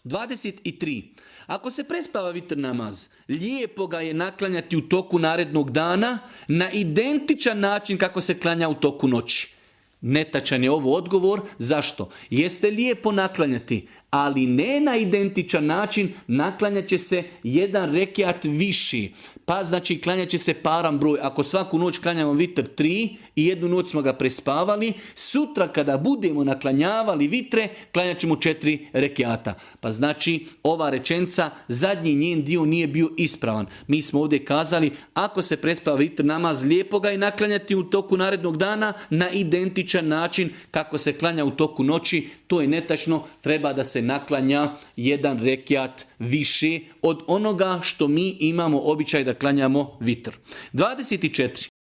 23. Ako se prespava vitr namaz, lijepo ga je naklanjati u toku narednog dana na identičan način kako se klanja u toku noći. Netačan je ovo odgovor. Zašto? Jeste lijepo naklanjati, ali ne na identičan način, naklanjat će se jedan rekiat viši. Pa znači klanjat će se paran broj. Ako svaku noć klanjamo vitr 3 i jednu noć smo ga prespavali, sutra kada budemo naklanjavali vitre, klanjat ćemo 4 rekiata. Pa znači ova rečenica, zadnji njen dio nije bio ispravan. Mi smo ovdje kazali, ako se prespava vitr namaz, lijepo ga je naklanjati u toku narednog dana na identičan način kako se klanja u toku noći. To je netačno, treba da se naklanja jedan rekiat više od onoga što mi imamo običaj da klanjamo vitr. 24.